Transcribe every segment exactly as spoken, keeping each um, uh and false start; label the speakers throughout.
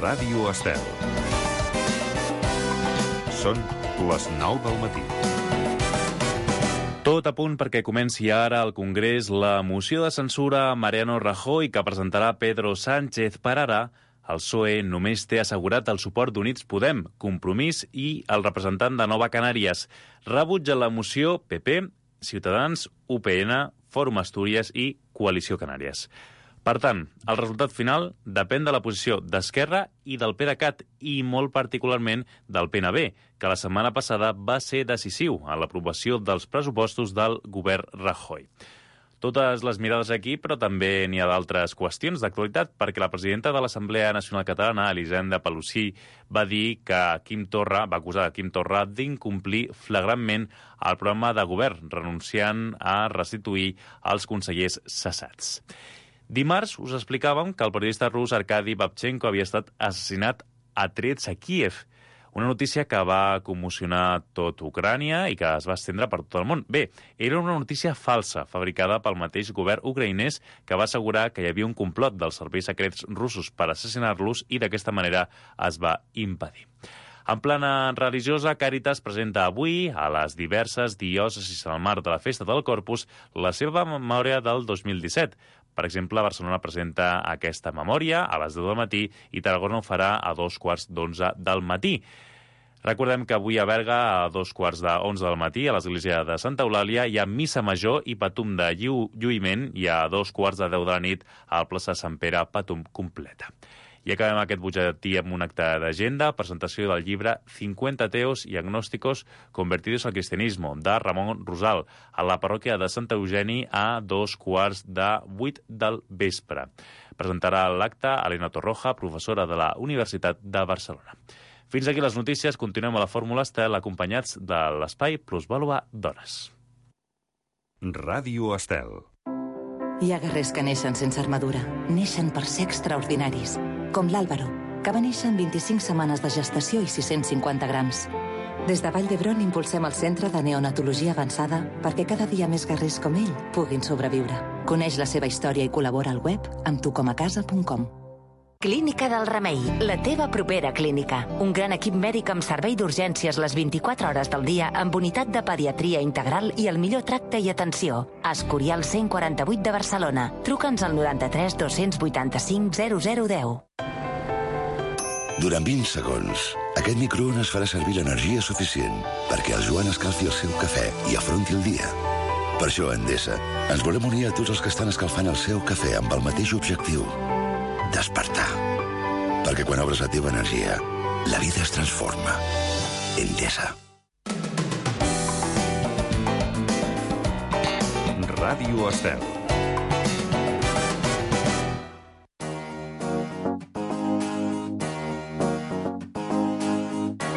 Speaker 1: Ràdio Estel. Són les nou del matí.
Speaker 2: Tot a punt perquè comenci ara al Congrés la moció de censura a Mariano Rajoy que presentarà Pedro Sánchez. Per ara, el P S O E només té assegurat el suport d'Units Podem, Compromís i el representant de Nova Canàries. Rebutja la moció P P, Ciutadans, U P N, Fòrum Astúries i Coalició Canàries. Per tant, el resultat final depèn de la posició d'Esquerra i del PDeCAT i molt particularment del P N B, que la setmana passada va ser decisiu en l'aprovació dels pressupostos del govern Rajoy. Totes les mirades aquí, però també n'hi ha d'altres qüestions d'actualitat, perquè la presidenta de l'Assemblea Nacional Catalana, Elisenda Palussy, va dir que Quim Torra, va acusar Quim Torra d'incomplir flagrantment el programa de govern, renunciant a restituir els consellers cessats. Dimarts us explicàvem que el periodista rus Arkady Babchenko havia estat assassinat a trets a Kíev, una notícia que va commocionar tot Ucrània i que es va estendre per tot el món. Bé, era una notícia falsa, fabricada pel mateix govern ucraïnès, que va assegurar que hi havia un complot dels serveis secrets russos per assassinar-los i d'aquesta manera es va impedir. En plana religiosa, Càritas presenta avui a les diverses diòcesis al marc de la Festa del Corpus la seva memòria del dos mil disset. Per exemple, Barcelona presenta aquesta memòria a les deu del matí i Tarragona ho farà a dos quarts d'onze del matí. Recordem que avui a Berga, a dos quarts d'onze del matí, a l'església de Santa Eulàlia, hi ha missa major i patum de llu lluïment i a dos quarts de deu de la nit a la plaça Sant Pere, patum completa. I acabem aquest butlletí amb un acte d'agenda, presentació del llibre cincuenta ateos y agnósticos convertidos al cristianismo, de Ramon Rosal, a la parròquia de Sant Eugeni a dos quarts de vuit del vespre. Presentarà l'acte Elena Torroja, professora de la Universitat de Barcelona. Fins aquí les notícies, continuem a la Fórmula Estel acompanyats de l'espai Plusvàlua Dones.
Speaker 1: Ràdio Estel.
Speaker 3: Hi ha guerrers que neixen sense armadura, neixen per ser extraordinaris, com l'Àlvaro, que va néixer en vint-i-cinc setmanes de gestació i sis-cents cinquanta grams. Des de Vall d'Hebron impulsem el Centre de Neonatologia Avançada perquè cada dia més guerrers com ell puguin sobreviure. Coneix la seva història i col·labora al web amb tu com a casa punt com.
Speaker 4: Clínica del Remei, la teva propera clínica. Un gran equip mèdic amb servei d'urgències les vint-i-quatre hores del dia amb unitat de pediatria integral i el millor tracte i atenció. Escorial cent quaranta-vuit de Barcelona. Truca'ns al noranta-tres dos-cents vuitanta-cinc zero zero deu.
Speaker 5: Durant vint segons, aquest microones farà servir l'energia suficient perquè el Joan escalfi el seu cafè i afronti el dia. Per això a Endesa ens volem unir a tots els que estan escalfant el seu cafè amb el mateix objectiu: despertar. Perquè quan obres la teva energia, la vida es transforma. Endesa.
Speaker 1: Ràdio Estel.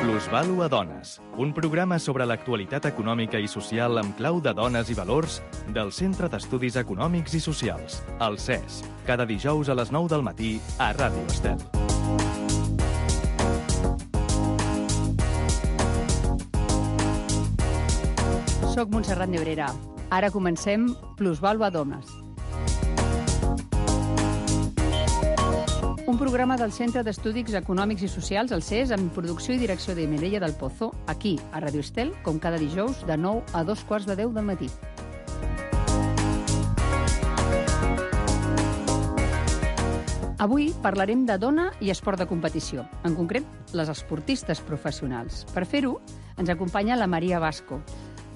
Speaker 6: Plusvàlua Dones, un programa sobre l'actualitat econòmica i social amb clau de dones i valors del Centre d'Estudis Econòmics i Socials, el C E S, cada dijous a les nou del matí a Ràdio Estel.
Speaker 7: Soc Montserrat Nebrera. Ara comencem Plusvàlua Dones. Un programa del Centre d'Estudis Econòmics i Socials, el C E S, amb producció i direcció de Mireia del Pozo, aquí, a Ràdio Estel, com cada dijous, de nou a dos quarts de deu del matí. Avui parlarem de dona i esport de competició, en concret, les esportistes professionals. Per fer-ho, ens acompanya la Maria Vasco.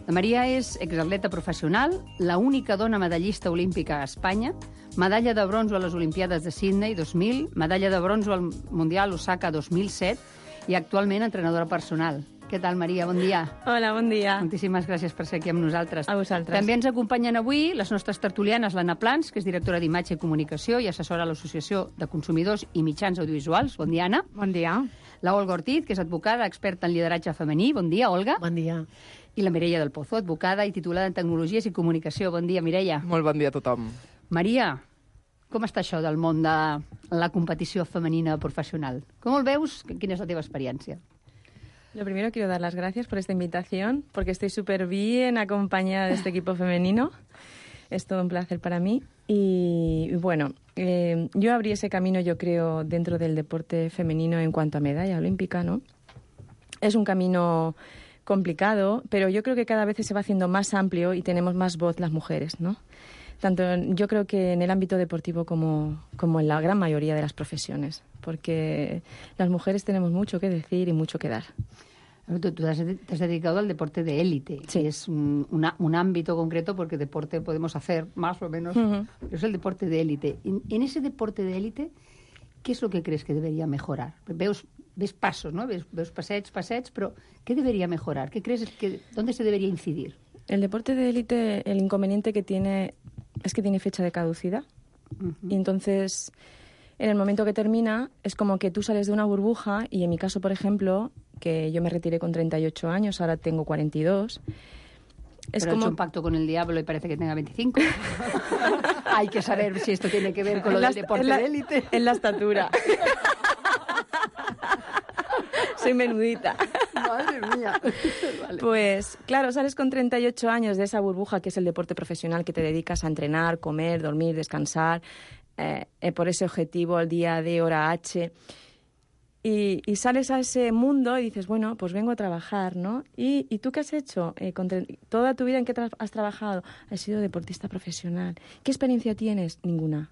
Speaker 7: La Maria és exatleta professional, la única dona medallista olímpica a Espanya, medalla de bronzo a les Olimpiades de Sydney dos mil, medalla de bronzo al Mundial Osaka dos mil set i actualment entrenadora personal. Què tal, Maria? Bon dia.
Speaker 8: Hola, bon dia.
Speaker 7: Moltíssimes gràcies per ser aquí amb nosaltres.
Speaker 8: A vosaltres.
Speaker 7: També ens acompanyen avui les nostres tertulianes, l'Anna Plans, que és directora d'Imatge i Comunicació i assessora a l'Associació de Consumidors i Mitjans Audiovisuals. Bon dia, Anna.
Speaker 8: Bon dia.
Speaker 7: La Olga Ortiz, que és advocada, experta en lideratge femení. Bon dia, Olga.
Speaker 9: Bon dia.
Speaker 7: I la Mireia del Pozo, advocada i titulada en Tecnologies i Comunicació. Bon dia, Mireia.
Speaker 9: Molt bon dia a tothom.
Speaker 7: Maria, com està això del món de la competició femenina profesional? Com el veus? Quina és la teva experiència?
Speaker 8: Lo primero, quiero dar las gracias por esta invitación, porque estoy súper bien acompañada de este equipo femenino. Es todo un placer para mí. Y, y bueno, eh, yo abrí ese camino, yo creo, dentro del deporte femenino en cuanto a medalla olímpica, ¿no? Es un camino complicado, pero yo creo que cada vez se va haciendo más amplio y tenemos más voz las mujeres, ¿no? Tanto yo creo que en el ámbito deportivo como, como en la gran mayoría de las profesiones, porque las mujeres tenemos mucho que decir y mucho que dar.
Speaker 7: Tú, tú te, has, te has dedicado al deporte de élite,
Speaker 8: sí.
Speaker 7: que es un, una, un ámbito concreto, porque deporte podemos hacer más o menos, uh-huh. pero es el deporte de élite. En, en ese deporte de élite, ¿qué es lo que crees que debería mejorar? Veus, ves pasos, ¿no? Ves, ves passeig, passeig, pero ¿qué debería mejorar? ¿Qué crees que, dónde se debería incidir?
Speaker 8: El deporte de élite, el inconveniente que tiene es que tiene fecha de caducidad. Uh-huh. Y entonces, en el momento que termina, es como que tú sales de una burbuja, y en mi caso, por ejemplo, que yo me retiré con treinta y ocho años, ahora tengo cuarenta y dos.
Speaker 7: Es Pero como... ha hecho un pacto con el diablo y parece que tenga veinticinco. Hay que saber si esto tiene que ver con lo
Speaker 8: la,
Speaker 7: del deporte
Speaker 8: la,
Speaker 7: de élite.
Speaker 8: En la estatura. Soy menudita.
Speaker 7: Madre mía. Vale.
Speaker 8: Pues claro, sales con treinta y ocho años de esa burbuja que es el deporte profesional, que te dedicas a entrenar, comer, dormir, descansar, eh, eh, por ese objetivo, el día D, hora H. Y, y sales a ese mundo y dices, bueno, pues vengo a trabajar, ¿no? ¿Y, y tú qué has hecho? Eh, con tre- ¿Toda tu vida en qué tra- has trabajado? Has sido deportista profesional. ¿Qué experiencia tienes? Ninguna.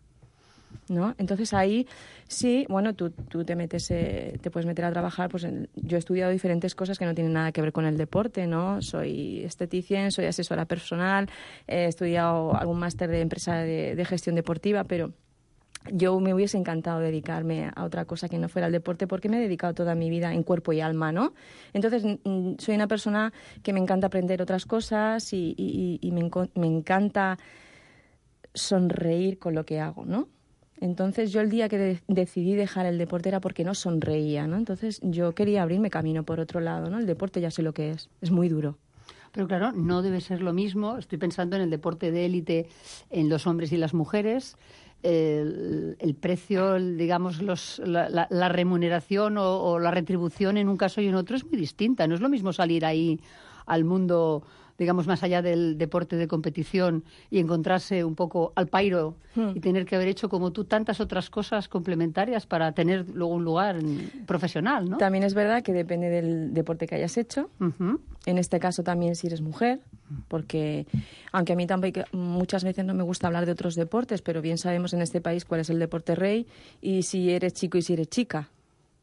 Speaker 8: ¿No? Entonces ahí sí, bueno, tú, tú te metes, eh, te puedes meter a trabajar. Pues en, yo he estudiado diferentes cosas que no tienen nada que ver con el deporte, ¿no? Soy esteticien, soy asesora personal, he estudiado algún máster de empresa de, de gestión deportiva, pero yo me hubiese encantado dedicarme a otra cosa que no fuera el deporte, porque me he dedicado toda mi vida en cuerpo y alma, ¿no? Entonces, mm, soy una persona que me encanta aprender otras cosas y, y, y me, enco- me encanta sonreír con lo que hago, ¿no? Entonces, yo el día que de- decidí dejar el deporte era porque no sonreía, ¿no? Entonces, yo quería abrirme camino por otro lado, ¿no? El deporte ya sé lo que es, es muy duro.
Speaker 7: Pero claro, no debe ser lo mismo. Estoy pensando en el deporte de élite, en los hombres y las mujeres. El, el precio, el, digamos, los, la, la, la remuneración o, o la retribución en un caso y en otro es muy distinta. No es lo mismo salir ahí al mundo, digamos, más allá del deporte de competición y encontrarse un poco al pairo hmm. y tener que haber hecho, como tú, tantas otras cosas complementarias para tener luego un lugar profesional, ¿no?
Speaker 8: También es verdad que depende del deporte que hayas hecho. Uh-huh. En este caso también si eres mujer, porque aunque a mí tampoco muchas veces no me gusta hablar de otros deportes, pero bien sabemos en este país cuál es el deporte rey y si eres chico y si eres chica.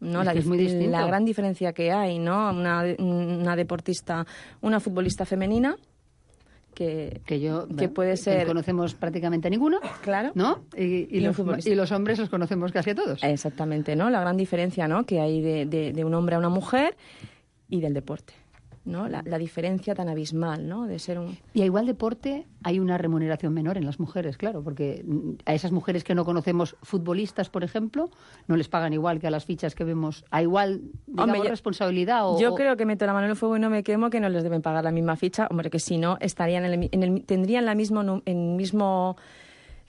Speaker 8: ¿No?
Speaker 7: Es
Speaker 8: la,
Speaker 7: que es muy distinto.
Speaker 8: La gran diferencia que hay, ¿no? Una, una deportista, una futbolista femenina que,
Speaker 7: que yo
Speaker 8: que puede ser
Speaker 7: que conocemos prácticamente a ninguna,
Speaker 8: claro,
Speaker 7: ¿no? Y, y,
Speaker 8: y,
Speaker 7: los, y los hombres los conocemos casi a todos.
Speaker 8: Exactamente, ¿no? La gran diferencia, ¿no? Que hay de, de, de un hombre a una mujer y del deporte, ¿no? La, la diferencia tan abismal, ¿no? De ser un...
Speaker 7: Y a igual deporte hay una remuneración menor en las mujeres, claro, porque a esas mujeres que no conocemos, futbolistas, por ejemplo, no les pagan igual que a las fichas que vemos. A igual, digamos, Hombre, yo, responsabilidad o...
Speaker 8: Yo creo que meto la mano en el fuego y no me quemo, que no les deben pagar la misma ficha. Hombre, que si no, estarían en el, en el, tendrían la mismo, en mismo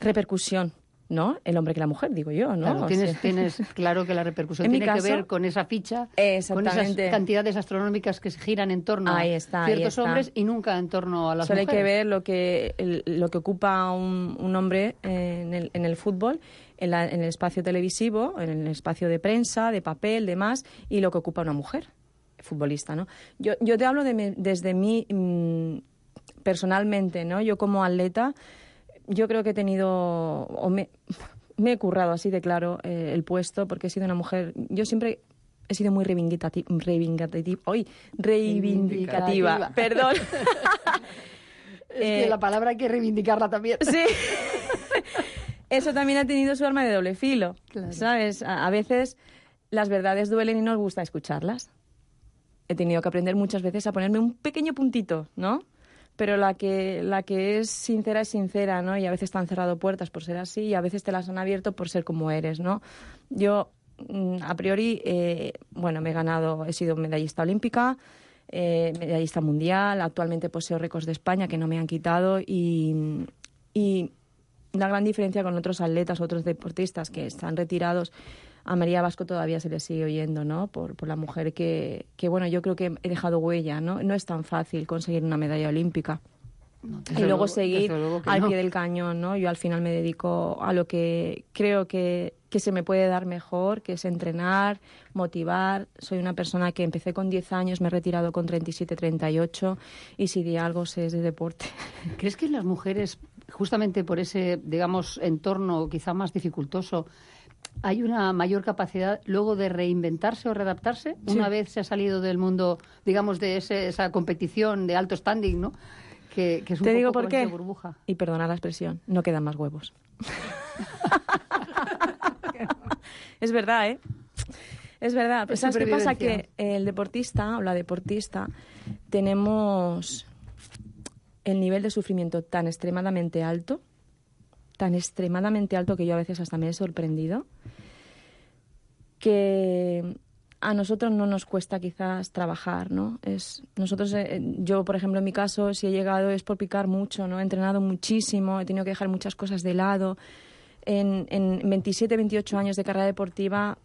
Speaker 8: repercusión, ¿no? El hombre que la mujer, digo yo, ¿no?
Speaker 7: Claro, tienes, o sea, tienes claro que la repercusión tiene caso, que ver con esa ficha, con esas cantidades astronómicas que se giran en torno
Speaker 8: ahí está,
Speaker 7: a ciertos
Speaker 8: ahí está.
Speaker 7: hombres y nunca en torno a las
Speaker 8: Solo
Speaker 7: mujeres.
Speaker 8: Solo hay que ver lo que, el, lo que ocupa un, un hombre en el, en el fútbol, en, la, en el espacio televisivo, en el espacio de prensa, de papel, demás, y lo que ocupa una mujer futbolista, ¿no? Yo, yo te hablo de mi, desde mí mmm, personalmente, ¿no? Yo como atleta... Yo creo que he tenido, o me, me he currado así de claro eh, el puesto, porque he sido una mujer, yo siempre he sido muy reivindicativa, reivindicativa, hoy, reivindicativa, perdón.
Speaker 7: Es que eh, la palabra hay que reivindicarla también.
Speaker 8: Sí. Eso también ha tenido su arma de doble filo, claro. ¿Sabes? A, a veces las verdades duelen y nos gusta escucharlas. He tenido que aprender muchas veces a ponerme un pequeño puntito, ¿no? Pero la que la que es sincera es sincera, ¿no? Y a veces te han cerrado puertas por ser así y a veces te las han abierto por ser como eres, ¿no? Yo, a priori, eh, bueno, me he ganado, he sido medallista olímpica, eh, medallista mundial, actualmente poseo récords de España que no me han quitado y, y la gran diferencia con otros atletas, otros deportistas que están retirados, a María Vasco todavía se le sigue oyendo, ¿no? Por, por la mujer que, que, bueno, yo creo que he dejado huella, ¿no? No es tan fácil conseguir una medalla olímpica.
Speaker 7: No,
Speaker 8: y luego
Speaker 7: luego,
Speaker 8: seguir
Speaker 7: luego
Speaker 8: al
Speaker 7: no.
Speaker 8: pie del cañón, ¿no? Yo al final me dedico a lo que creo que, que se me puede dar mejor, que es entrenar, motivar. Soy una persona que empecé con diez años, me he retirado con treinta y siete, treinta y ocho, y si de algo sé es de deporte.
Speaker 7: ¿Crees que las mujeres, justamente por ese, digamos, entorno quizá más dificultoso, hay una mayor capacidad luego de reinventarse o readaptarse
Speaker 8: Sí.
Speaker 7: una vez se ha salido del mundo, digamos, de ese, esa competición de alto standing, ¿no? Que, que es un
Speaker 8: Te
Speaker 7: poco
Speaker 8: digo
Speaker 7: como
Speaker 8: por qué.
Speaker 7: esa burbuja.
Speaker 8: Y perdona la expresión, no quedan más huevos. Es verdad, ¿eh? Es verdad. Pero
Speaker 7: Es
Speaker 8: ¿sabes qué pasa?
Speaker 7: supervivencia.
Speaker 8: Que el deportista o la deportista tenemos el nivel de sufrimiento tan extremadamente alto, tan extremadamente alto que yo a veces hasta me he sorprendido, que a nosotros no nos cuesta quizás trabajar, ¿no? Es, nosotros, eh, yo, por ejemplo, en mi caso, si he llegado es por picar mucho, ¿no? He entrenado muchísimo, he tenido que dejar muchas cosas de lado. En, en veintisiete, veintiocho años de carrera deportiva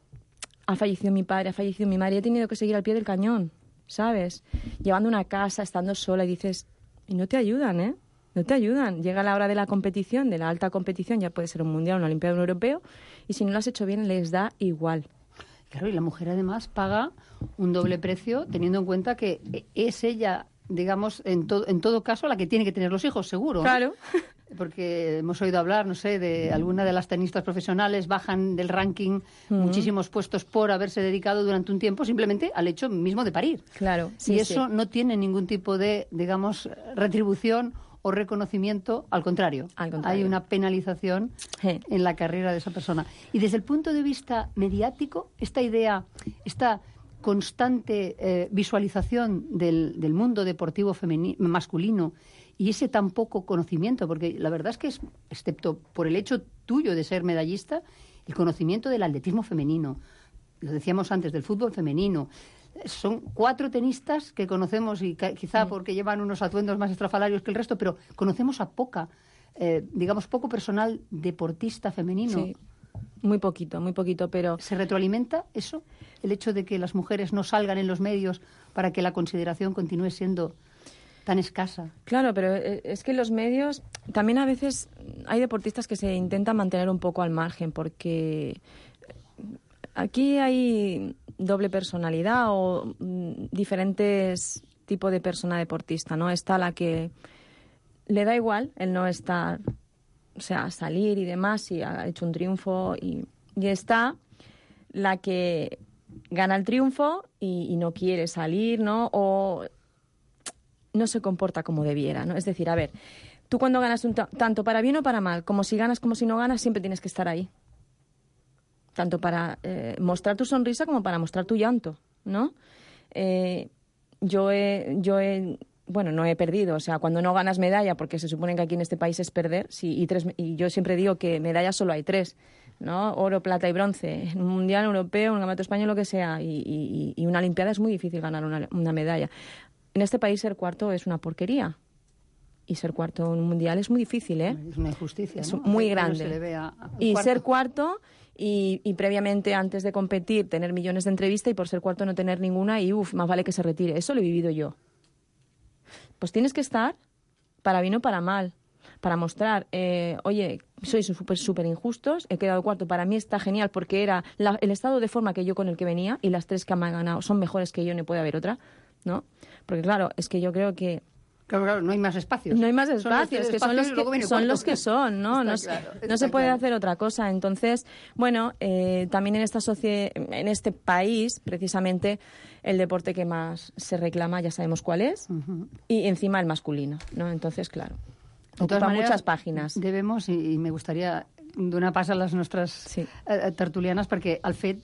Speaker 8: ha fallecido mi padre, ha fallecido mi madre, y he tenido que seguir al pie del cañón, ¿sabes? Llevando una casa, estando sola, y dices, y no te ayudan, ¿eh? No te ayudan. Llega la hora de la competición, de la alta competición, ya puede ser un mundial, una olimpiada, un europeo, y si no lo has hecho bien, les da igual.
Speaker 7: Claro, y la mujer además paga un doble precio teniendo en cuenta que es ella, digamos, en, to- en todo caso, la que tiene que tener los hijos, seguro, ¿no?
Speaker 8: Claro.
Speaker 7: Porque hemos oído hablar, no sé, de alguna de las tenistas profesionales bajan del ranking
Speaker 8: Ujú.
Speaker 7: muchísimos puestos por haberse dedicado durante un tiempo simplemente al hecho mismo de parir.
Speaker 8: Claro, sí,
Speaker 7: y eso
Speaker 8: sí.
Speaker 7: no tiene ningún tipo de, digamos, retribución o reconocimiento, al contrario.
Speaker 8: Al contrario.
Speaker 7: Hay una penalización
Speaker 8: Sí.
Speaker 7: en la carrera de esa persona. Y desde el punto de vista mediático, esta idea, esta constante eh, visualización del, del mundo deportivo femeni- masculino y ese tan poco conocimiento, porque la verdad es que, es, excepto por el hecho tuyo de ser medallista, el conocimiento del atletismo femenino, lo decíamos antes, del fútbol femenino, son cuatro tenistas que conocemos, y ca- quizá porque llevan unos atuendos más estrafalarios que el resto, pero conocemos a poca, eh, digamos, poco personal deportista femenino.
Speaker 8: Sí. Muy poquito, muy poquito, pero...
Speaker 7: ¿Se retroalimenta eso? El hecho de que las mujeres no salgan en los medios para que la consideración continúe siendo tan escasa.
Speaker 8: Claro, pero eh, es que los medios, también a veces hay deportistas que se intentan mantener un poco al margen, porque aquí hay doble personalidad o mm, diferentes tipos de persona deportista, ¿no? Está la que le da igual el no estar, o sea, salir y demás, y ha hecho un triunfo, y, y está la que gana el triunfo y, y no quiere salir, ¿no? O no se comporta como debiera, ¿no? Es decir, a ver, tú cuando ganas un ta- tanto para bien o para mal, como si ganas como si no ganas, siempre tienes que estar ahí. Tanto para eh, mostrar tu sonrisa como para mostrar tu llanto, ¿no? Eh, yo he, yo he, bueno, no he perdido, o sea, cuando no ganas medalla, porque se supone que aquí en este país es perder, sí, y, tres, y yo siempre digo que medallas solo hay tres, ¿no? Oro, plata y bronce. En un mundial, europeo, un campeonato español, lo que sea, y, y, y una olimpiada es muy difícil ganar una, una medalla. En este país ser cuarto es una porquería. Y ser cuarto en un mundial es muy difícil, ¿eh?
Speaker 7: Es una injusticia,
Speaker 8: Es
Speaker 7: ¿no?
Speaker 8: muy
Speaker 7: Que no
Speaker 8: grande.
Speaker 7: se le vea al
Speaker 8: Y
Speaker 7: cuarto.
Speaker 8: ser cuarto y, y previamente, antes de competir, tener millones de entrevistas, y por ser cuarto no tener ninguna, y uff, más vale que se retire. Eso lo he vivido yo. Pues tienes que estar para bien o para mal, para mostrar, eh, oye, sois súper súper injustos, he quedado cuarto, para mí está genial porque era la- el estado de forma que yo con el que venía, y las tres que me han ganado son mejores que yo, no puede haber otra, ¿no? Porque claro, es que yo creo que
Speaker 7: Claro, claro, no hay más espacios.
Speaker 8: no hay más
Speaker 7: Son los
Speaker 8: espacios,
Speaker 7: tres
Speaker 8: que son
Speaker 7: espacios
Speaker 8: los
Speaker 7: y luego
Speaker 8: que
Speaker 7: viene
Speaker 8: son,
Speaker 7: cuarto.
Speaker 8: los que son, ¿no?
Speaker 7: Está
Speaker 8: No, se-
Speaker 7: claro,
Speaker 8: no
Speaker 7: está
Speaker 8: se puede
Speaker 7: claro.
Speaker 8: hacer otra cosa. Entonces, bueno, eh, también en esta socie- en este país, precisamente, el deporte que más se reclama, ya sabemos cuál es,
Speaker 7: Ujú.
Speaker 8: y encima el masculino, ¿no? Entonces, claro,
Speaker 7: De todas
Speaker 8: ocupa
Speaker 7: maneras,
Speaker 8: muchas páginas.
Speaker 7: Debemos, i, i me gustaria donar pas a les nostres
Speaker 8: Sí.
Speaker 7: eh, tertulianes, perquè el fet,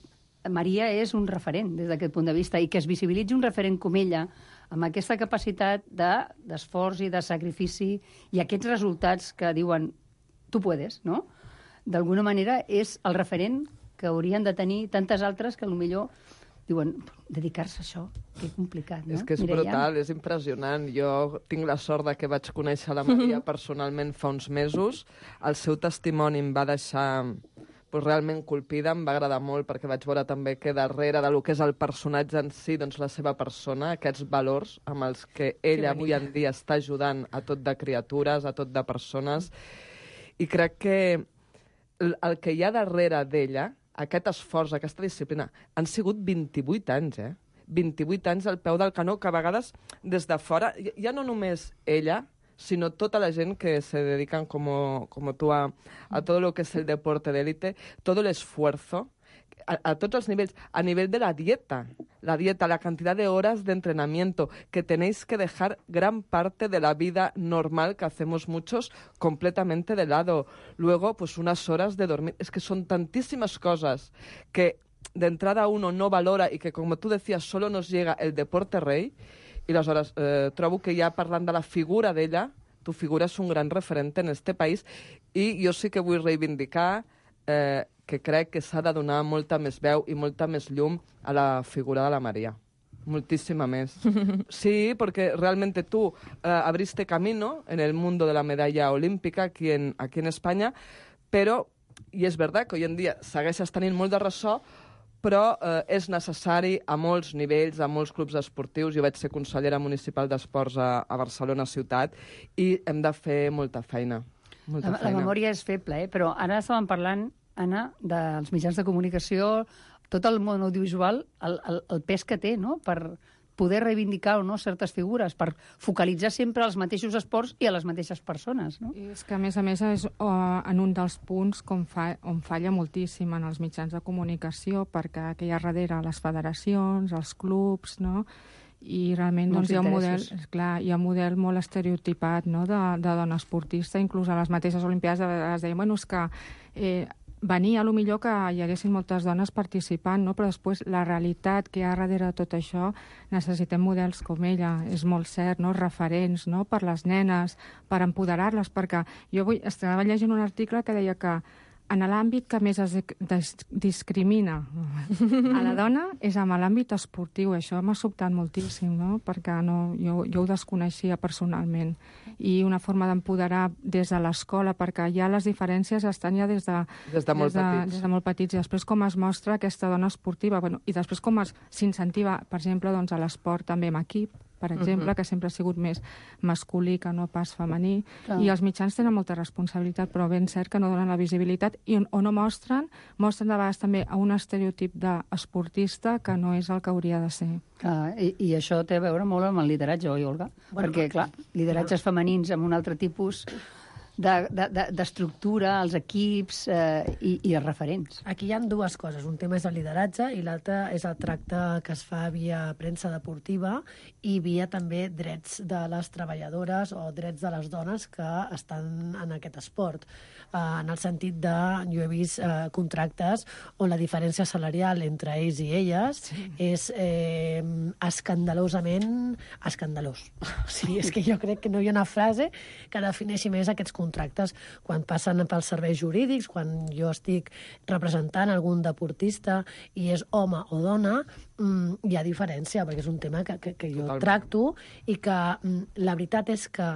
Speaker 7: Maria és un referent des d'aquest punt de vista, i que es visibilitzi un referent com ella, amb aquesta capacitat de- d'esforç i de sacrifici, i aquests resultats que diuen tu puedes, no? D'alguna manera és el referent que haurien de tenir tantes altres que potser diuen, dedicar-se a això, que complicat, no?
Speaker 9: És que és
Speaker 7: Mireia?
Speaker 9: brutal, és impressionant. Jo tinc la sort de que vaig conèixer la Maria personalment fa uns mesos. El seu testimoni em va deixar doncs, realment colpida. Em va agradar molt perquè vaig veure també que darrere del que és el personatge en si, doncs la seva persona, aquests valors amb els que ella avui en dia està ajudant a tot de criatures, a tot de persones. I crec que el, el que hi ha darrere d'ella, aquest esforç, aquesta disciplina, han sigut vint-i-vuit anys, eh? vint-i-vuit anys al peu del canó, que a vegades des de fora, ja no només ella, sino toda la gente que se dedican como, como tú a, a todo lo que es el deporte de élite, todo el esfuerzo, a, a todos los niveles, a nivel de la dieta, la dieta, la cantidad de horas de entrenamiento, que tenéis que dejar gran parte de la vida normal que hacemos muchos completamente de lado. Luego, pues unas horas de dormir. Es que son tantísimas cosas que de entrada uno no valora y que, como tú decías, solo nos llega el deporte rey. I aleshores eh, trobo que ja parlant de la figura d'ella, tu figura és un gran referent en este país i jo sí que vull reivindicar eh, que crec que s'ha de donar molta més veu i molta més llum a la figura de la María. Muchísima més. Sí, porque realmente tú eh, abriste camino en el mundo de la medalla olímpica aquí en, aquí en España, però, i és veritat que hoy en dia segueixes tenint molt de ressò, però eh, és necessari a molts nivells, a molts clubs esportius. Jo vaig ser consellera municipal d'esports a, a Barcelona ciutat i hem de fer molta feina. Molta
Speaker 7: la,
Speaker 9: feina.
Speaker 7: la memòria és feble, eh? Però ara estàvem parlant, Anna, dels mitjans de comunicació, tot el món audiovisual, el, el, el pes que té, no?, per poder reivindicar o no certes figures, per focalitzar sempre els mateixos esports i a les mateixes persones, no?
Speaker 10: I és que, a més a més, és uh, en un dels punts com fa, on falla moltíssim en els mitjans de comunicació, perquè que hi ha darrere les federacions, els clubs, no?, i realment doncs, hi ha un model, clar, hi ha un model molt estereotipat, no?, de, de dona esportista, inclús a les mateixes Olimpiades de vegades deien, bueno, és que eh, venia, a lo millor que hi haguessin moltes dones participant, no? Però després la realitat que hi ha darrere de tot això, necessitem models com ella, és molt cert, no? Referents, no?, per les nenes, per empoderar-les, perquè jo avui estava llegint un article que deia que en l'àmbit que més es discrimina a la dona és en l'àmbit esportiu. Això m'ha sobtat moltíssim, no?, perquè no, jo, jo ho desconeixia personalment. I una forma d'empoderar des de l'escola, perquè ja les diferències estan ja des de,
Speaker 9: des de, molt,
Speaker 10: des de,
Speaker 9: petits.
Speaker 10: Des de molt petits. I després com es mostra aquesta dona esportiva, bueno, i després com s'incentiva, per exemple, doncs, a l'esport també en equip, per exemple, uh-huh. que sempre ha sigut més masculí que no pas femení. Clar. I els mitjans tenen molta responsabilitat, però ben cert que no donen la visibilitat i on, o no mostren, mostren de vegades també a un estereotip d'esportista que no és el que hauria de ser.
Speaker 7: Ah, i, I això té a veure molt amb el lideratge, oi, Olga? Bueno, perquè, clar, lideratges femenins amb un altre tipus d'estructura, de, de, els equips eh, i, i els referents.
Speaker 11: Aquí hi ha dues coses. Un tema és el lideratge i l'altre és el tracte que es fa via premsa deportiva i via també drets de les treballadores o drets de les dones que estan en aquest esport. Eh, en el sentit de, jo he vist eh, contractes on la diferència salarial entre ells i elles sí. és eh, escandalosament escandalós. O sigui, és que jo crec que no hi ha una frase que defineixi més aquests contractes contractes quan passen pels serveis jurídics, quan jo estic representant algun deportista i és home o dona, mmm, hi ha diferència, perquè és un tema que, que, que jo Totalment. tracto i que mmm, la veritat és que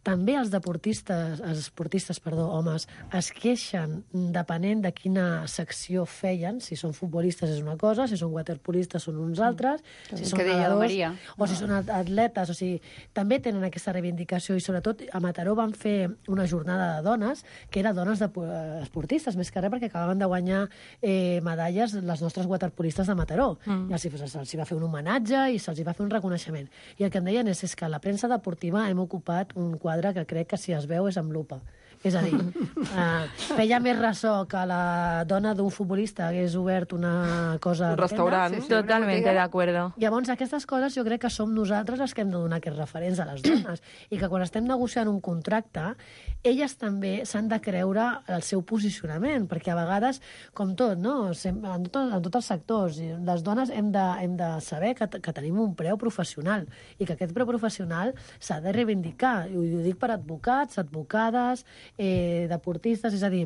Speaker 11: també els deportistes, els esportistes, perdó, homes, es queixen depenent de quina secció feien. Si són futbolistes és una cosa, si són waterpolistes són uns altres, mm. si són nedadors, o si són atletes. O sigui, també tenen aquesta reivindicació i sobretot a Mataró van fer una jornada de dones que era dones de, uh, esportistes, més que res perquè acabaven de guanyar eh, medalles les nostres waterpolistes de Mataró. Mm. I se'ls se, se va fer un homenatge i se'ls va fer un reconeixement. I el que em deien és, és que a la premsa deportiva hem ocupat un quadre que crec que si es veu és amb lupa. És a dir, uh, feia més ressò que la dona d'un futbolista hagués obert una cosa...
Speaker 9: Un restaurant.
Speaker 8: Sí, sí, totalmente de acuerdo.
Speaker 11: Llavors, aquestes coses jo crec que som nosaltres els que hem de donar aquests referents a les dones. I que quan estem negociant un contracte, elles també s'han de creure el seu posicionament, perquè a vegades, com tot, no? En, tot, en tots els sectors, les dones hem de, hem de saber que, que tenim un preu professional i que aquest preu professional s'ha de reivindicar. I ho dic per advocats, advocades, eh, deportistes, és a dir,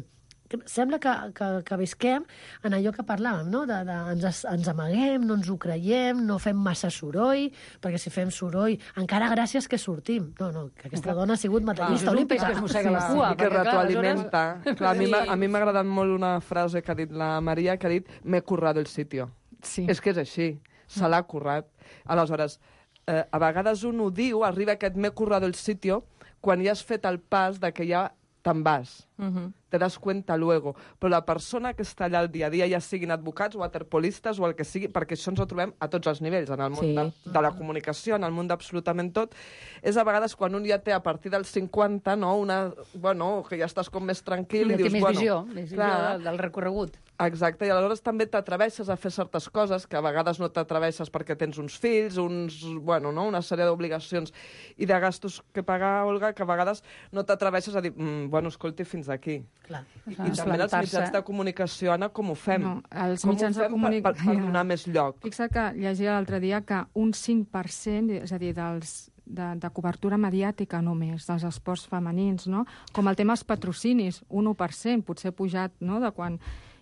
Speaker 11: sembla que, que, que visquem en allò que parlàvem, no? De, de, ens, ens amaguem, no ens ho creiem, no fem massa soroll, perquè si fem soroll, encara gràcies que sortim. No, no, que aquesta dona ha sigut medallista olímpica.
Speaker 7: Que es mossega la cua.
Speaker 9: I que retroalimenta. Clar, a mi m'ha- a mi m'ha agradat molt una frase que ha dit la Maria, que ha dit «me he currado el sitio».
Speaker 10: Sí.
Speaker 9: És que és així, se l'ha currat. Aleshores, eh, a vegades un ho diu, arriba aquest «me he currado el sitio», quan ja has fet el pas de que ja te'n vas.
Speaker 8: Mhm.
Speaker 9: Te das cuenta luego. Però la persona que està allà al dia a dia, ja siguin advocats o waterpolistes o el que sigui, perquè això ens ho trobem a tots els nivells, en el món
Speaker 8: Sí.
Speaker 9: de, de la comunicació, en el món d'absolutament tot, és a vegades quan un ja té a partir dels cinquanta, no, una, bueno, que ja estàs com més tranquil
Speaker 7: Ja
Speaker 9: i
Speaker 7: té
Speaker 9: dius,
Speaker 7: més
Speaker 9: bueno...
Speaker 7: visió, més visió
Speaker 9: clar,
Speaker 7: del, del recorregut.
Speaker 9: Exacte, i aleshores també t'atreveixes a fer certes coses que a vegades no t'atreveixes perquè tens uns fills, uns, bueno, no? una sèrie d'obligacions i de gastos que pagar, Olga, que a vegades no t'atreveixes a dir, mm, bueno, escolti, fins aquí.
Speaker 11: Clar.
Speaker 9: I, i també els mitjans de comunicació, Anna, com ho fem?
Speaker 10: No, els
Speaker 9: com
Speaker 10: mitjans
Speaker 9: ho
Speaker 10: de
Speaker 9: fem
Speaker 10: comunicació...
Speaker 9: per, per, per donar més lloc?
Speaker 10: Fixa't que llegia l'altre dia que un cinc per cent, és a dir, dels, de, de cobertura mediàtica només, dels esports femenins, no? Com el tema dels patrocinis, un u per cent, potser pujat, no?, de quan...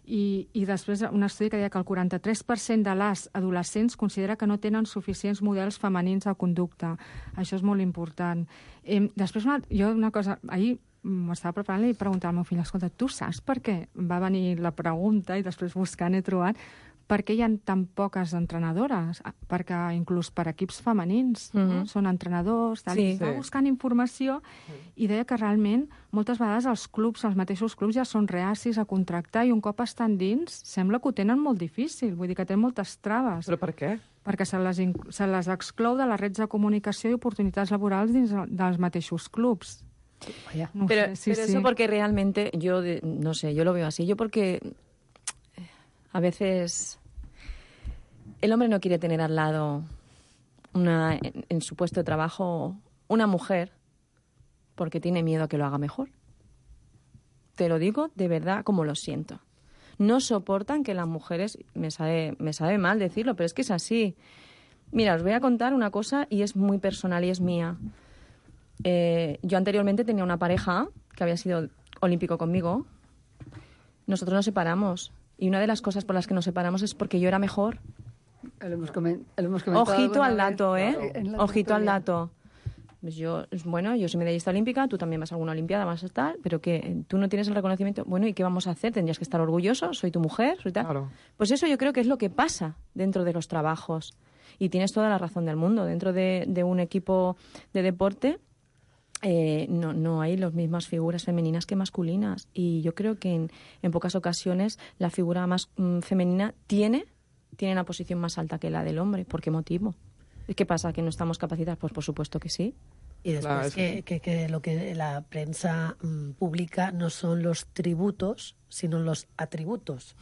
Speaker 10: I, I després un estudi que deia que el quaranta-tres per cent de les adolescents considera que no tenen suficients models femenins de conducta. Això és molt important. Eh, després, una, jo una cosa... Ahir m'estava preparant i preguntar al meu fill, escolta, tu saps per què va venir la pregunta i després buscant he trobat per què hi ha tan poques entrenadores? Perquè inclús per equips femenins, mm-hmm. no? Són entrenadors, tal,
Speaker 8: Sí.
Speaker 10: i estava buscant informació i deia que realment moltes vegades els clubs, els mateixos clubs ja són reacis a contractar i un cop estan dins sembla que ho tenen molt difícil, vull dir que tenen moltes traves.
Speaker 9: Però per què?
Speaker 10: Perquè se les, se les exclou de les redes de comunicació i oportunitats laborals dins dels mateixos clubs.
Speaker 7: Vaya.
Speaker 10: No
Speaker 8: Pero,
Speaker 10: sé, sí,
Speaker 8: pero
Speaker 10: sí.
Speaker 8: eso porque realmente, yo de- no sé, yo lo veo así. Yo porque a veces el hombre no quiere tener al lado una, en, en su puesto de trabajo una mujer porque tiene miedo a que lo haga mejor. Te lo digo de verdad como lo siento. No soportan que las mujeres, me sabe, me sabe mal decirlo, pero es que es así. Mira, os voy a contar una cosa y es muy personal y es mía. Eh, yo anteriormente tenía una pareja que había sido olímpico conmigo. Nosotros nos separamos. Y una de las cosas por las que nos separamos es porque yo era mejor.
Speaker 7: Lo hemos, comen- lo hemos comentado
Speaker 8: Ojito
Speaker 7: alguna
Speaker 8: al
Speaker 7: vez.
Speaker 8: dato, ¿eh?
Speaker 7: Claro, en la
Speaker 8: Ojito al
Speaker 7: tertulia.
Speaker 8: dato. Pues yo, bueno, yo soy medallista olímpica, tú también vas a alguna olimpiada, vas a estar, pero que tú no tienes el reconocimiento. Bueno, ¿y qué vamos a hacer? Tendrías que estar orgulloso, soy tu mujer, soy tal.
Speaker 9: Claro.
Speaker 8: Pues eso yo creo que es lo que pasa dentro de los trabajos. Y tienes toda la razón del mundo. Dentro de, de un equipo de deporte eh, no, no hay las mismas figuras femeninas que masculinas. Y yo creo que en, en pocas ocasiones la figura más mm, femenina tiene, tiene una posición más alta que la del hombre. ¿Por qué motivo? ¿Qué pasa? ¿Que no estamos capacitadas? Pues por supuesto que sí.
Speaker 11: Y después
Speaker 9: Claro, es
Speaker 11: que, que, que lo que la prensa mm, publica no son los tributos, sino los atributos.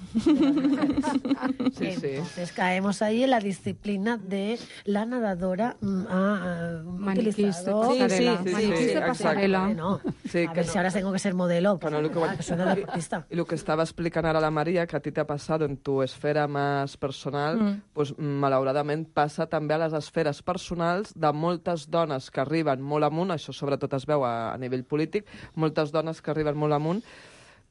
Speaker 9: Sí, sí.
Speaker 11: Entonces caemos ahí en la disciplina de la nadadora mm, ha, ha
Speaker 10: Maniquista,
Speaker 11: utilizado...
Speaker 8: Sí,
Speaker 10: pasarela.
Speaker 8: sí, sí,
Speaker 10: Maniquista,
Speaker 9: sí,
Speaker 10: pasarela.
Speaker 11: No,
Speaker 9: Sí,
Speaker 11: a
Speaker 9: que
Speaker 11: ver
Speaker 9: no.
Speaker 11: si ahora tengo que ser modelo.
Speaker 9: Que no, lo que
Speaker 11: Ah,
Speaker 9: voy-
Speaker 11: que soy una deportista.
Speaker 9: Y lo que estaba explicando ahora la María, que a ti te ha pasado en tu esfera más personal,
Speaker 8: Mm.
Speaker 9: pues, malauradament passa també a les esferes personals de moltes dones que arriben molt amunt, això sobretot es veu a, a nivell polític, moltes dones que arriben molt amunt,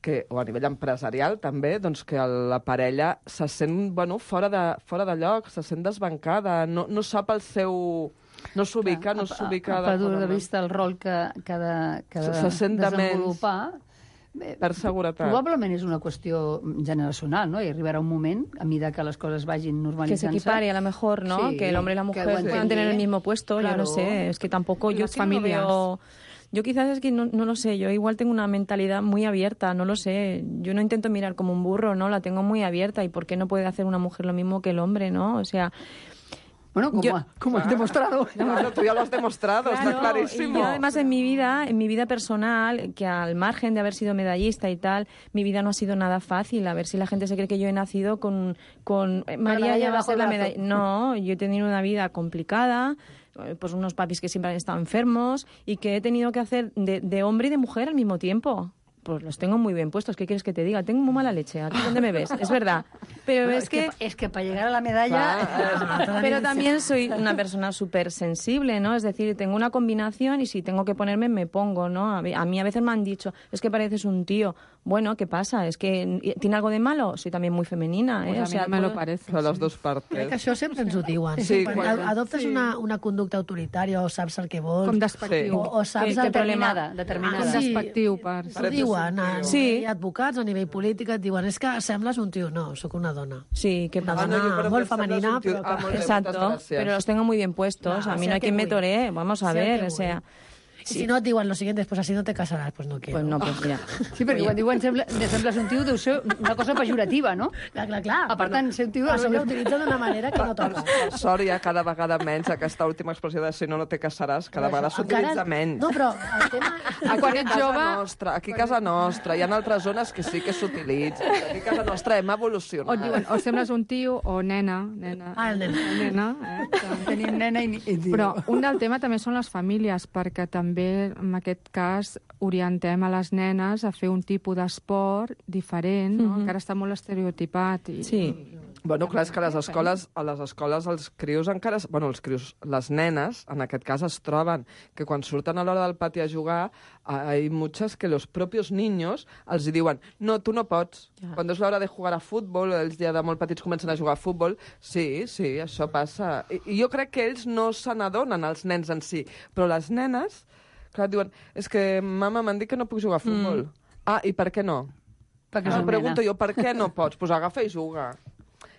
Speaker 9: que, o a nivell empresarial també, doncs que la parella se sent bueno, fora, de, fora de lloc, se sent desbancada, no, no sap el seu... No s'ubica, no s'ubica...
Speaker 7: A perdut de vista el rol que, que ha de, que ha de
Speaker 9: Se- se sent de menys.
Speaker 7: desenvolupar. Eh,
Speaker 9: Per seguretat.
Speaker 7: Probablement és una qüestió generacional, ¿no? I arribarà un moment, a mesura que les coses vagin
Speaker 8: Que se
Speaker 7: normalitzant-se...
Speaker 8: equipare a lo mejor, ¿no?
Speaker 7: Sí,
Speaker 8: que el hombre y la
Speaker 7: que
Speaker 8: mujer
Speaker 7: ho
Speaker 8: puedan
Speaker 7: entengui.
Speaker 8: tener el mismo puesto, yo
Speaker 7: Claro.
Speaker 8: no sé, es que tampoco yo
Speaker 10: Las
Speaker 8: es que no lo
Speaker 10: familias.
Speaker 8: veo- Yo quizás es que no, no lo sé, yo igual tengo una mentalidad muy abierta, no lo sé. Yo no intento mirar como un burro, ¿no? La tengo muy abierta. ¿Y por qué no puede hacer una mujer lo mismo que el hombre, no? O sea...
Speaker 7: Bueno, como,
Speaker 8: Yo-
Speaker 7: como has demostrado.
Speaker 9: Claro, tú ya lo has demostrado, está
Speaker 8: Claro,
Speaker 9: clarísimo.
Speaker 8: y yo además en mi vida, en mi vida personal, que al margen de haber sido medallista y tal, mi vida no ha sido nada fácil. A ver si la gente se cree que yo he nacido con... con eh, María
Speaker 7: medalla
Speaker 8: ya va a
Speaker 7: bajo
Speaker 8: ser
Speaker 7: el
Speaker 8: la
Speaker 7: brazo.
Speaker 8: medalla... No, yo he tenido una vida complicada, eh, pues unos papis que siempre han estado enfermos y que he tenido que hacer de, de hombre y de mujer al mismo tiempo. Pues los tengo muy bien puestos, ¿qué quieres que te diga? Tengo muy mala leche, ¿a ti dónde me ves? Es verdad. Pero
Speaker 11: Bueno,
Speaker 8: es,
Speaker 11: es que...
Speaker 8: que...
Speaker 11: Es que para llegar a la medalla...
Speaker 8: Ah, pero también soy una persona súper sensible, ¿no? Es decir, tengo una combinación y si tengo que ponerme, me pongo, ¿no? A mí a veces me han dicho, es que pareces un tío. Bueno, ¿qué pasa? ¿Es que tiene algo de malo? Soy también muy femenina, ¿eh?
Speaker 10: Pues a
Speaker 8: o sea,
Speaker 10: mí no me
Speaker 8: todo...
Speaker 10: lo parece.
Speaker 9: De les dues partes.
Speaker 11: Crec que això sempre ens ho diuen.
Speaker 9: Sí,
Speaker 11: Quan
Speaker 9: quan-
Speaker 11: adoptes
Speaker 9: sí.
Speaker 11: una, una conducta autoritària o saps el que vols...
Speaker 10: Com despectiu.
Speaker 11: O, o saps
Speaker 7: Sí,
Speaker 11: el
Speaker 7: determinada,
Speaker 11: que...
Speaker 7: determinada.
Speaker 11: Ah,
Speaker 10: Com
Speaker 11: sí,
Speaker 10: despectiu, per...
Speaker 11: Ho diuen, a
Speaker 8: Sí.
Speaker 11: nivell advocats, a nivell polític, et diuen és que sembles un tio. No, sóc una dona.
Speaker 8: Sí, que
Speaker 11: Una
Speaker 9: Ah, no,
Speaker 11: dona
Speaker 9: yo, pero
Speaker 11: molt
Speaker 9: que sembles
Speaker 11: femenina,
Speaker 9: un tío-
Speaker 11: però
Speaker 9: Ah,
Speaker 11: que...
Speaker 9: molt bé,
Speaker 8: Exacto,
Speaker 9: moltes gràcies.
Speaker 8: pero los tengo muy bien puestos.
Speaker 11: Claro,
Speaker 8: a mí
Speaker 11: sé
Speaker 8: no hay
Speaker 11: que
Speaker 8: quien me
Speaker 11: voy.
Speaker 8: toree, vamos a
Speaker 11: Sé
Speaker 8: ver,
Speaker 11: que
Speaker 8: o sea...
Speaker 11: I si no et diuen lo siguiente, pues así no te casarás, pues no quiero.
Speaker 8: Pues no, pues mira.
Speaker 7: Sí, perquè quan diuen sembla, de sembles un tio deu ser una cosa pejorativa, no?
Speaker 11: Clar, clar, clar.
Speaker 7: Ah, per tant, ser un tio...
Speaker 11: Això ho utilitza d'una manera que no toca.
Speaker 9: Per sort, hi ha cada vegada menys aquesta última expressió de si no, no te casaràs, cada vegada s'utilitza menys.
Speaker 11: No, però el tema...
Speaker 10: Ah, quan ets
Speaker 9: casa
Speaker 10: jove...
Speaker 9: Nostra, aquí a casa nostra, hi ha altres zones que sí que s'utilitza. Aquí a casa nostra hem
Speaker 10: O
Speaker 9: evolucionat.
Speaker 10: et diuen, o sembles un tio o nena. nena
Speaker 11: Ah, el nen.
Speaker 10: nena eh?
Speaker 7: Tenim nena i, i
Speaker 10: Però un del tema també són les famílies, perquè també en aquest cas orientem a les nenes a fer un tipus d'esport diferent, no?
Speaker 8: Mhm.
Speaker 10: Encara està molt estereotipat. I,
Speaker 8: Sí.
Speaker 9: Bueno, clar, és que a les escoles, a les escoles els crios encara... Bueno, els crios, les nenes, en aquest cas, es troben que quan surten a l'hora del pati a jugar, hay muchas que los propios niños els hi diuen no, tu no pots.
Speaker 8: Ja.
Speaker 9: Quan és l'hora de jugar a futbol, ells ja de molt petits comencen a jugar a futbol, sí, sí, això passa. I, i jo crec que ells no se n'adonen, els nens en si, però les nenes, clar, diuen, és que mama m'han dit que no puc jugar a futbol. Mm. Ah, i per què no?
Speaker 7: perquè és
Speaker 9: Ah,
Speaker 7: una
Speaker 9: pregunto
Speaker 7: nena.
Speaker 9: jo, per què no pots? Doncs pues agafa i juga.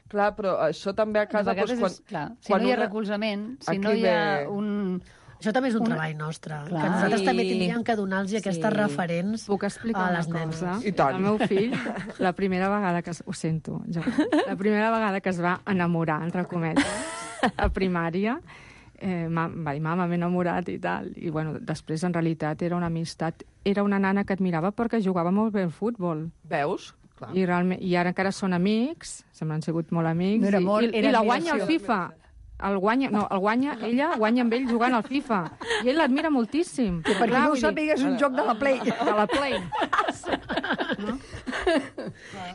Speaker 9: Clar, però això també a
Speaker 7: De
Speaker 9: casa...
Speaker 7: vegades
Speaker 9: Doncs, quan,
Speaker 7: és, clar, si
Speaker 9: quan
Speaker 7: no hi ha
Speaker 9: una-
Speaker 7: recolzament, si
Speaker 9: Aquí
Speaker 7: no hi ha
Speaker 9: ve-
Speaker 7: un...
Speaker 11: Això també és un
Speaker 7: Una-
Speaker 11: treball nostre,
Speaker 7: Clar.
Speaker 11: que nosaltres
Speaker 8: Sí.
Speaker 11: també tindríem que donar-los aquestes
Speaker 8: Sí.
Speaker 11: referents
Speaker 10: Puc explicar
Speaker 11: a
Speaker 10: una
Speaker 11: les nenes.
Speaker 10: cosa?
Speaker 9: I tant.
Speaker 10: El meu fill, la primera vegada que... Es... Ho sento, jo. La primera vegada que es va enamorar, entre cometes, a primària, eh, ma, va dir, mama, m'he enamorat i tal. I, bueno, després, en realitat, era una amistat. Era una nana que admirava perquè jugava molt bé al futbol.
Speaker 9: Veus? Clar.
Speaker 10: I, realment, I ara encara són amics, sempre han sigut molt amics.
Speaker 7: No era amor,
Speaker 10: i, i,
Speaker 7: era
Speaker 10: I la guanya al
Speaker 7: admiració.
Speaker 10: FIFA. El guanya, no, el guanya, ella guanya amb ell jugant al FIFA. I ell l'admira moltíssim.
Speaker 7: Que per qui no ho
Speaker 10: vull dir,
Speaker 7: sàpiga, és un joc de la Play.
Speaker 10: de la Play.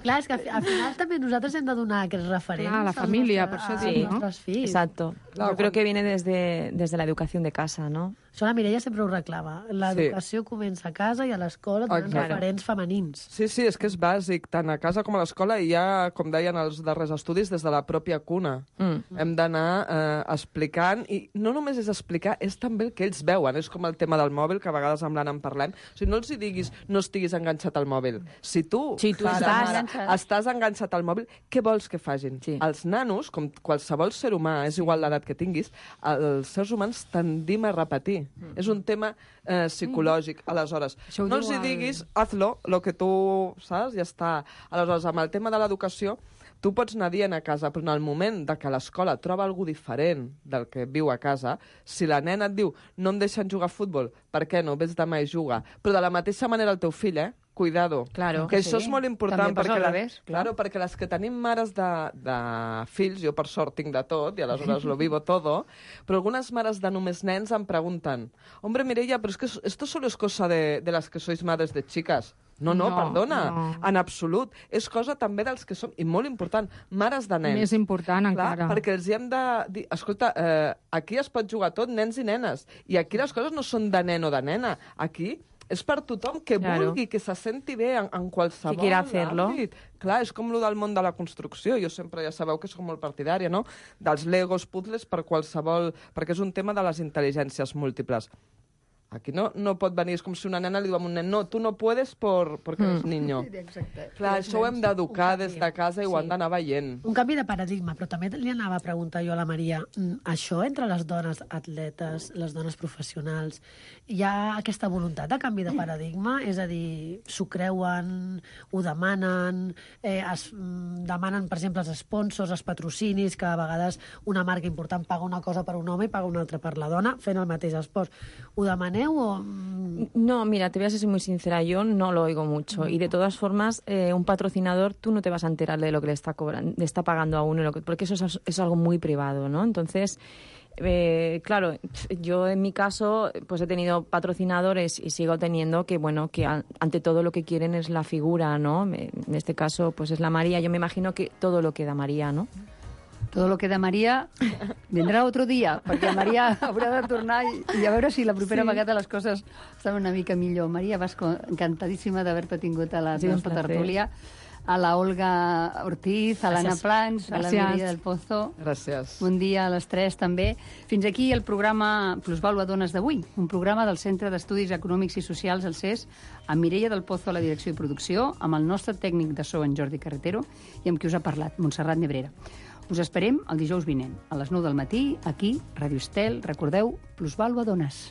Speaker 11: Clar, és que al fi- al final també nosaltres hem de donar aquests referents.
Speaker 10: Clar, la
Speaker 11: als
Speaker 10: família,
Speaker 11: nostres-
Speaker 10: per això
Speaker 11: als
Speaker 10: dic, no?
Speaker 11: nostres fills.
Speaker 8: Exacto.
Speaker 9: Claro,
Speaker 8: Yo creo
Speaker 9: cuando-
Speaker 8: que viene desde, desde la educación de casa, ¿no?
Speaker 11: Això la Mireia sempre ho reclama. L'educació comença a casa i a l'escola donant
Speaker 9: Exacte.
Speaker 11: referents femenins.
Speaker 9: Sí, sí, és que és bàsic, tant a casa com a l'escola, i ja, com deien els darrers estudis, des de la pròpia cuna.
Speaker 8: Mm.
Speaker 9: Hem d'anar eh, explicant, i no només és explicar, és també el que ells veuen. És com el tema del mòbil, que a vegades amb l'Anna en parlem. O sigui, no els hi diguis, no estiguis enganxat al mòbil. Si tu,
Speaker 8: Si tu
Speaker 9: pare,
Speaker 8: estàs
Speaker 9: mare,
Speaker 7: enganxat.
Speaker 9: estàs enganxat al mòbil, què vols que facin?
Speaker 8: Sí.
Speaker 9: Els nanos, com qualsevol ser humà, és igual l'edat que tinguis, els seres humans tendim a repetir. Mm. És un tema eh, psicològic. Aleshores,
Speaker 10: Això ho
Speaker 9: no
Speaker 10: diu
Speaker 9: els hi
Speaker 10: el-
Speaker 9: diguis, hazlo, lo que tu saps, ja està. Aleshores, amb el tema de l'educació, tu pots anar dient a casa, però en el moment de que l'escola troba algú diferent del que viu a casa, si la nena et diu no em deixen jugar a futbol, per què no? Vés demà i juga. Però de la mateixa manera el teu fill, eh? Cuidado.
Speaker 8: Claro.
Speaker 9: Que això
Speaker 7: Sí,
Speaker 9: és molt important.
Speaker 7: també passa
Speaker 9: perquè
Speaker 7: al
Speaker 9: la-
Speaker 7: revés, clar.
Speaker 9: Claro, perquè les que tenim mares de, de fills, jo per sort tinc de tot, i aleshores lo vivo todo, però algunes mares de només nens em pregunten, hombre, Mireia, però es que esto solo es cosa de, de las que sois madres de chicas. No, no,
Speaker 10: No,
Speaker 9: perdona,
Speaker 10: no.
Speaker 9: en absolut. És cosa també dels que som, i molt important, mares de nens.
Speaker 10: Més important
Speaker 9: Clar,
Speaker 10: encara.
Speaker 9: perquè els hi hem de dir, escolta, eh, aquí es pot jugar tot, nens i nenes, i aquí les coses no són de nen o de nena, aquí és per tothom que
Speaker 8: Claro.
Speaker 9: vulgui, que se senti bé en, en qualsevol
Speaker 8: Que quiera hacerlo.
Speaker 9: àmbit. Clar, és com lo del món de la construcció. Jo sempre, ja sabeu que soc molt partidària, no?, dels legos, puzzles, per qualsevol... perquè és un tema de les intel·ligències múltiples. Aquí no, no pot venir, és com si una nena li diu a un nen, no, tu no puedes por, porque eres niño.
Speaker 7: Exacte.
Speaker 9: Clar, això ho hem d'educar des de casa i ho han d'anar veient.
Speaker 11: Un canvi de paradigma, però també li anava a preguntar jo a la Maria, mm, això entre les dones atletes, les dones professionals, hi ha aquesta voluntat de canvi de paradigma? És a dir, s'ho creuen, ho demanen, eh, es mm, demanen, per exemple, els sponsors, els patrocinis, que a vegades una marca important paga una cosa per un home i paga una altra per la dona, fent el mateix esport. Ho demaneu o...? mm,
Speaker 8: No, mira, te voy a ser muy sincera, yo no lo oigo mucho. Y de todas formas, eh, un patrocinador, tú no te vas a enterar de lo que le está cobrando, le está pagando a uno, lo que- porque eso es, es algo muy privado, ¿no? Entonces, Eh, claro, yo en mi caso pues he tenido patrocinadores y sigo teniendo que, bueno, que a, ante todo lo que quieren es la figura, ¿no? En este caso pues es la María. Yo me imagino que todo lo que da María, ¿no?
Speaker 7: Todo lo que da Maria vendrà otro dia, perquè Maria haurà de tornar i, i a veure si la propera sí. vegada les coses estan una mica millor. Maria Vasco, encantadíssima d'haver-te tingut a la sí, nostra tertúlia. A la Olga Ortiz, a l'Anna Plans, a la Mireia del Pozo.
Speaker 9: Gràcies.
Speaker 7: Bon dia a les tres, també. Fins aquí el programa Plusvàlua Dones d'avui, un programa del Centre d'Estudis Econòmics i Socials, el C E S, amb Mireia del Pozo a la direcció i producció, amb el nostre tècnic de so, en Jordi Carretero, i amb qui us ha parlat, Montserrat Nebrera. Us esperem el dijous vinent, a les nou del matí, aquí, Ràdio Estel. Recordeu, Plusvàlua Dones.